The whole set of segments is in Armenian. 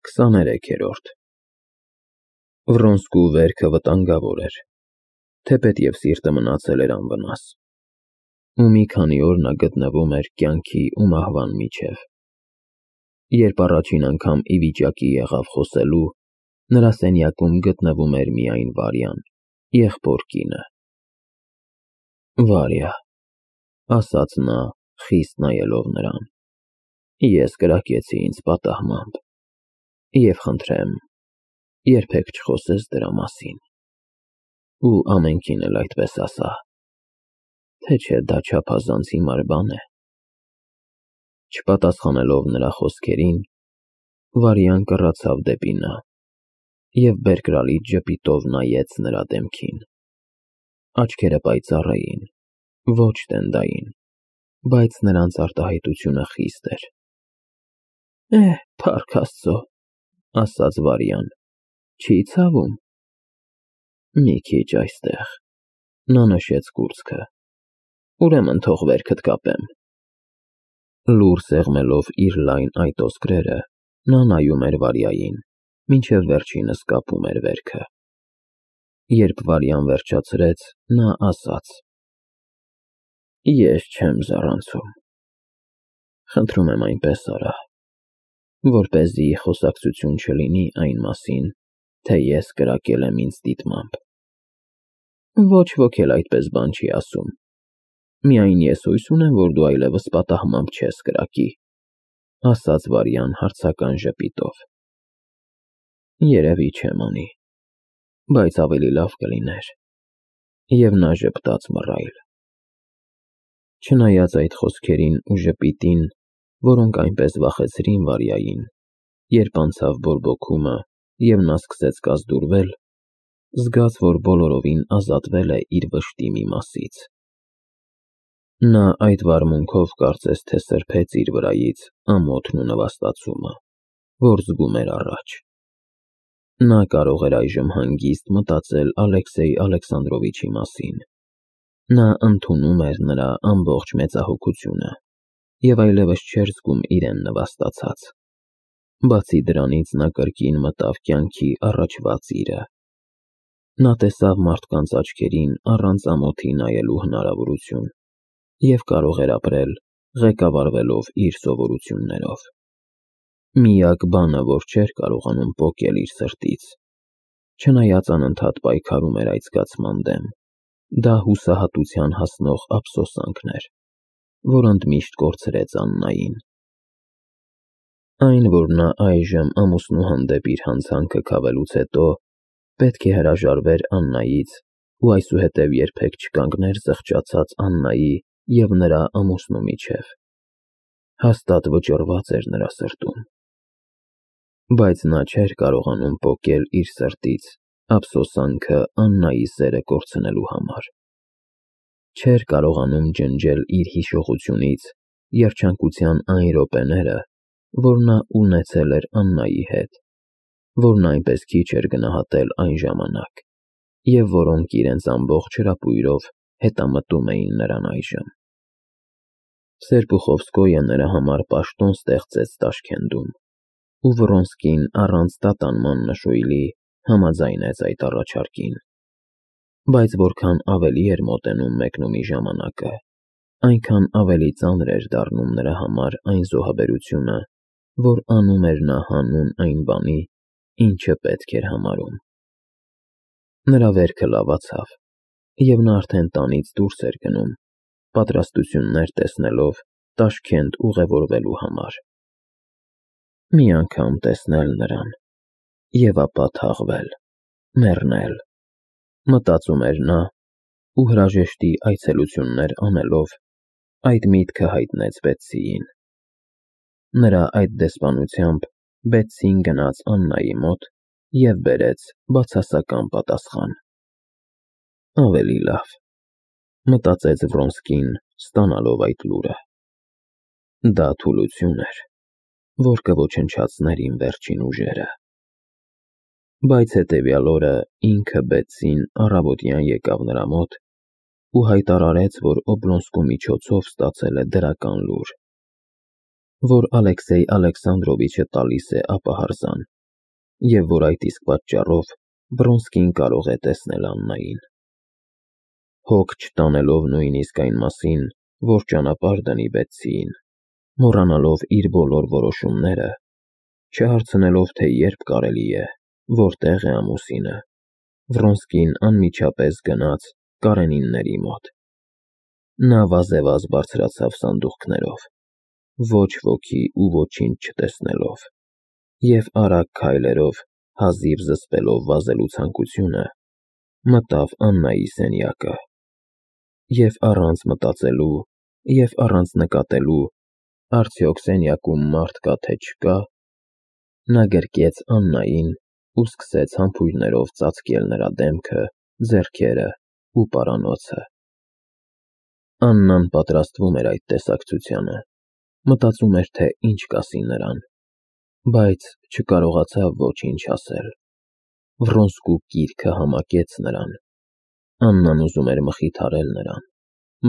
23-րդ Վռոնսկու վերքը վտանգավոր էր, թեպետև սիրտը մնացել էր անվնաս, ու մի քանի օր նա գտնվում էր կյանքի ու մահվան միջև։ Երբ առաջին անգամ ի վիճակի եղավ խոսելու, նրա սենյակում գտնվում էր միայն Վարյան, եղբոր կինը։ «Վարյա», ասաց նա, խիստ նայելով նրան, ես կրակեցի ինձ պատահմամբ, և խնդրեմ, երբեք չխոսես դրա մասին, ու ամենքին էլ այդպես ասա, թե չէ դա չափազանց հիմար բան է։ Չպատասխանելով նրա խոսքերին, Վարյան կռացավ դեպի նա և բերկրալի ժպիտով նայեց նրա դեմքին։ Աչքերը պայծառ էին, ոչ տենդային, բայց նրանց արտահայտությունը խիստ էր։ Փառք Աստծո, ասաց Վարյան, չի ցավում։ Մի քիչ այստեղ, նա նշեց կուրծքը, ուրեմն թող վերքդ կապեմ։ Լուռ սեղմելով իր լայն այտոսկրերը, նա նայում էր Վարյային, մինչև վերջինս կապում էր վերքը։ Երբ Վարյան վերջացրեց, նա ասաց. Ես չեմ զառանցում։ Խնդրում եմ այնպես արա, որպեսզի խոսակցություն չլինի այն մասին, թե ես կրակել եմ ինձ դիտմամբ։ Ոչ ոք էլ այդպես բան չի ասում, միայն ես հույս ունեմ, որ դու այլևս պատահմամբ չես կրակի, ասաց Վարյան հարցական ժպիտով։ Երևի չեմ անի, բայց ավելի լավ կլիներ։ Եվ նա ժպտաց մռայլ։ Չնայած այդ խոսքերին ու ժպիտին, որոնք այնպես վախեցրին Վարյային, երբ անցավ բորբոքումը և նա սկսեց կազդուրվել, զգաց, որ բոլորովին ազատվել է իր վշտի մի մասից։ Նա այդ վարմունքով կարծես թե սրբեց իր վրայից ամոթն ու նվաստացումը, որ զգում էր առաջ։ Նա կարող էր այժմ հանգիստ մտածել Ալեքսեյ Ալեքսանդրովիչի մասին։ Նա ընդունում էր նրա ամբողջ մեծահոգությունը և այլևս չէր զգում իրեն նվաստացած։ Բացի դրանից նա կրկին մտավ կյանքի առաջվա ծիրը։ Նա տեսավ մարդկանց աչքերին առանց ամոթի նայելու հնարավորություն և կարող էր ապրել, ղեկավարվելով իր սովորություններով։ Միակ բանը, որ չէր կարողանում պոկել իր սրտից, չնայած անընդհատ պայքարում էր այդ զգացման դեմ, դա հուսահատության հասնող ափսոսանքն էր, որ ընդմիշտ կորցրեց Աննային։ Այն, որ նա այժմ ամուսնու հանդեպ իր հանցանքը քավելուց հետո պետք է հրաժարվեր Աննայից ու այսուհետև երբեք չկանգներ զղջացած Աննայի և նրա ամուսնու միջև, հաստատ վճռված էր նրա սրտում։ Բայց նա չէր կարողանում պոկել իր սրտից ափսոսանքը Աննայի սերը կորցնելու համար։ Չէր կարողանում ջնջել իր հիշողությունից երջանկության այն րոպեները, որ նա ունեցել էր Աննայի հետ, որ նա այնպես քիչ էր գնահատել այն ժամանակ, և որոնք իրենց ամբողջ հրապույրով հետամտում էին նրան այժմ։ Սերպուխովսկոյը նրա համար պաշտոն ստեղծեց Տաշքենտում, ու Վռոնսկին առանց տատանման նշույլի համաձայնեց այդ առաջարկին։ Բայց որքան ավելի էր մոտենում մեկնումի ժամանակը, այնքան ավելի ծանր էր դառնում նրա համար այն զոհաբերությունը, որ անում էր նա հանուն այն բանի, ինչը պետք էր համարում։ Նրա վերքը լավացավ, և նա արդեն տանից դուրս էր գնում, պատրաստություններ տեսնելով Տաշքենտ ուղևորվելու համար։ Մի անգամ տեսնել նրան և ապա թաղվել, մեռնել, մտածում էր նա ու հրաժեշտի այցելություններ անելով այդ միտքը հայտնեց Բեթսիին։ Նրա այդ դեսպանությամբ Բեթսին գնաց Աննայի մոտ և բերեց բացասական պատասխան։ Ավելի լավ, մտածեց Վռոնսկին, ստանալով այդ լուրը։ Դա թուլություն էր, որ կոչնչացներ իմ վերջին ուժերը։ Բայց հետևյալ օրը ինքը Բեթսին առավոտյան եկավ նրա մոտ ու հայտարարեց, որ Օբլոնսկու միջոցով ստացել է դրական լուր, որ Ալեքսեյ Ալեքսանդրովիչը տալիս է ապահարզան և որ այդ իսկ պատճառով Վրոնսկին կարող է տեսնել Աննային։ Հոգ չտանելով նույնիսկ այն մասին, որ ճանապարհ դնի Բեթսիին, մոռանալով իր բոլոր որոշումները, չհարցնելով, թե երբ կարելի է, որտեղ է ամուսինը, Վրոնսկին անմիջապես գնաց Կարենինների մոտ։ Նա վազեվազ բարձրացավ սանդուղքներով, ոչ ոքի ու ոչինչ չտեսնելով, և արագ քայլերով, հազիվ զսպելով վազելու ցանկությունը, մտավ Աննայի սենյակը, և առանց մտածելու և առանց նկատելու, արդյոք սենյակում մարդ կա թե չկա, նա գրկեց Աննային ու սկսեց համբույրներով ծածկել նրա դեմքը, ձեռքերը ու պարանոցը։ Աննան պատրաստվում էր այդ տեսակցությանը, մտածում էր, թե ինչ կասի նրան, բայց չկարողացավ ոչինչ ասել։ Վրոնսկու կիրքը համակեց նրան։ Աննան ուզում էր մխիթարել նրան,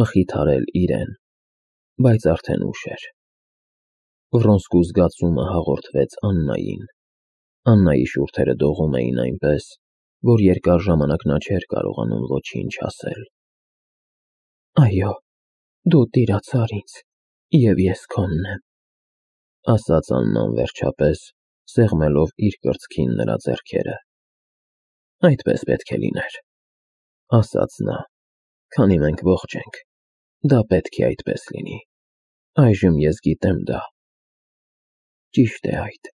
մխիթարել իրեն, բայց արդեն ուշ էր։ Վրոնսկու զգացումը հաղորդվեց Աննային։ Աննայի շուրթերը դողում էին այնպես, որ երկար ժամանակ նա չէր կարողանում ոչինչ ասել։ «Այո, դու տիրացար ինձ, և ես քոնն եմ», ասաց Աննան վերջապես, սեղմելով իր կրծքին նրա ձեռքերը։ «Այդպես պետք է լիներ», ասաց նա, «քանի մենք ողջ ենք, դա պետք է այդպես լինի։ Այժմ ես գիտեմ դա»։ «Ճիշտ է այդ»,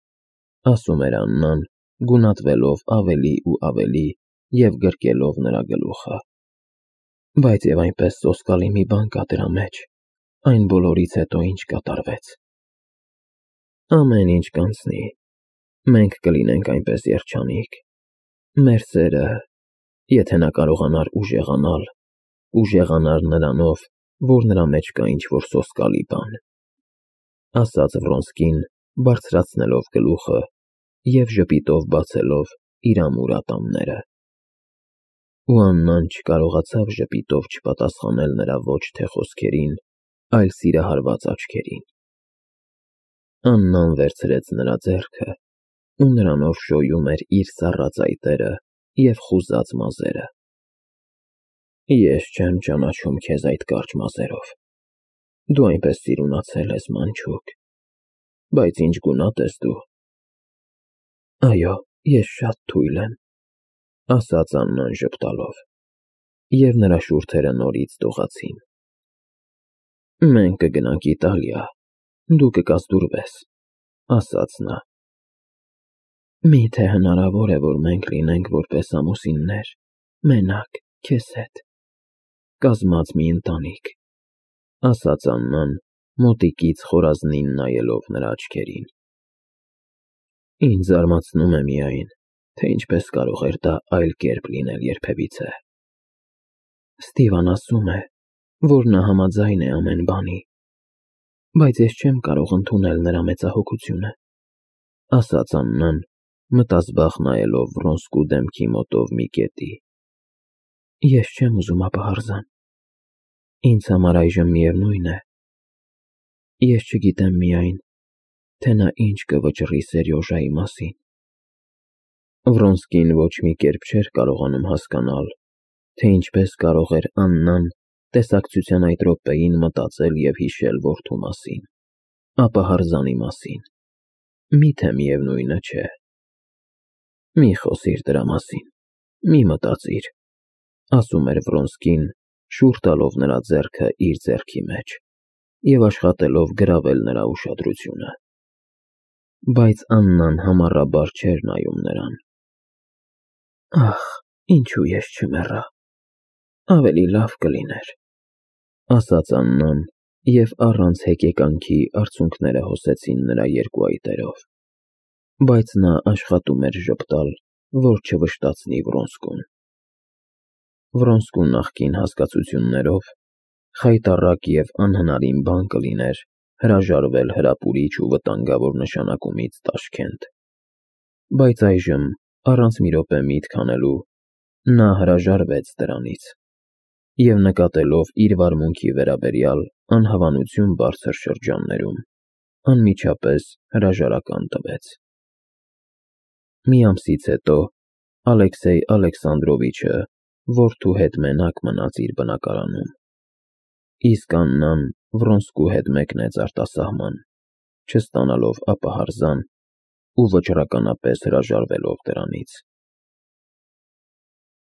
ասում էր Աննան, գունատվելով ավելի ու ավելի և գրկելով նրա գլուխը։ «Բայց և այնպես սոսկալի մի բան կա դրա մեջ, այն բոլորից հետո, ինչ կատարվեց»։ «Ամեն ինչ կանցնի, մենք կլինենք այնպես երջանիկ։ Մեր սերը, եթե նա կարողանար ուժեղանար նրանով, որ նրա մեջ կա ինչ-որ սոսկալի բան», ասաց Վրոնսկին, բարձրացնելով գլուխը և ժպիտով բացելով իր ամուր ատամները։ Ու Աննան չկարողացավ ժպիտով չպատասխանել նրա ոչ թե խոսքերին, այլ սիրահարված աչքերին։ Աննան վերցրեց նրա ձեռքը ու նրանով շոյում էր իր սառը ծայտերը և խուզած մազերը։ «Ես չեմ ճանաչում քեզ այդ կարճ մազերով, դու այնպես սիրունացել ես, մանչուկ, բայց ինչ գունատ ես դու»։ «Այո, ես շատ թույլ եմ», ասաց Աննան ժպտալով, և նրա շուրթերը նորից դողացին։ «Մենք կգնանք Իտալիա, դու կկազդուրվես», ասաց նա։ «Մի՞թե հնարավոր է, որ մենք լինենք որպես ամուսիններ, մենակ, քեզ հետ, կազմած մի ընտանիք», ասաց Աննան, մոտիկից խորազնին նայելով նրա աչքերին։ «Ինձ զարմացնում է միայն, թե ինչպես կարող էր դա այլ կերպ լինել երբևիցե։ Ստիվան ասում է, որ նա համաձայն է ամեն բանի, բայց ես չեմ կարող ընդունել նրա մեծահոգությունը», ասաց Աննան, մտազբաղ նայելով Վրոնսկու դեմքի մոտով մի կետի։ «Ես չեմ ուզում ապահարզան։ Ինձ համար այժմ միևնույն է։ Ես չգիտեմ միայն, թե նա ինչ կվճռի Սերյոժայի մասին»։ Վրոնսկին ոչ մի կերպ չէր կարողանում հասկանալ, թե ինչպես կարող էր Աննան տեսակցության այդ րոպեին մտածել և հիշել որդու մասին, ապահարզանի մասին։ Միթե միևնույնը չէ։ «Մի խոսիր դրա մասին, մի մտածիր», ասում էր Վրոնսկին, շուռ տալով նրա ձեռքը իր ձեռքի մեջ և աշխատելով գրավել նրա ուշադրությունը։ Բայց Աննան համառաբար չէր նայում նրան։ «Ախ, ինչու ես չմեռա, ավելի լավ կլիներ», ասաց Աննան, և առանց հեկեկանքի արցունքները հոսեցին նրա երկու այտերով, բայց նա աշխատում էր ժպտալ, որ չվշտացնի Վրոնսկուն։ Վրոնսկու նախկին հասկացություններով խայտառակ և անհնարին բան կլիներ հրաժարվել հրապուրիչ ու վտանգավոր նշանակումից Տաշքենտ, բայց այժմ, առանց մի րոպե միտք անելու, նա հրաժարվեց դրանից և, նկատելով իր վարմունքի վերաբերյալ անհավանություն բարձր շրջաններում, անմիջապես հրաժարական տվեց։ Մի ամսից հետո Ալեքսեյ Ալեքսանդրովիչը որդու հետ մենակ մնաց իր բնակարանում, իսկ Աննան Վրոնսկու հետ մեկնեց արտասահման, չստանալով ապա հրաժարական ու վճռականապես հրաժարվելով դրանից։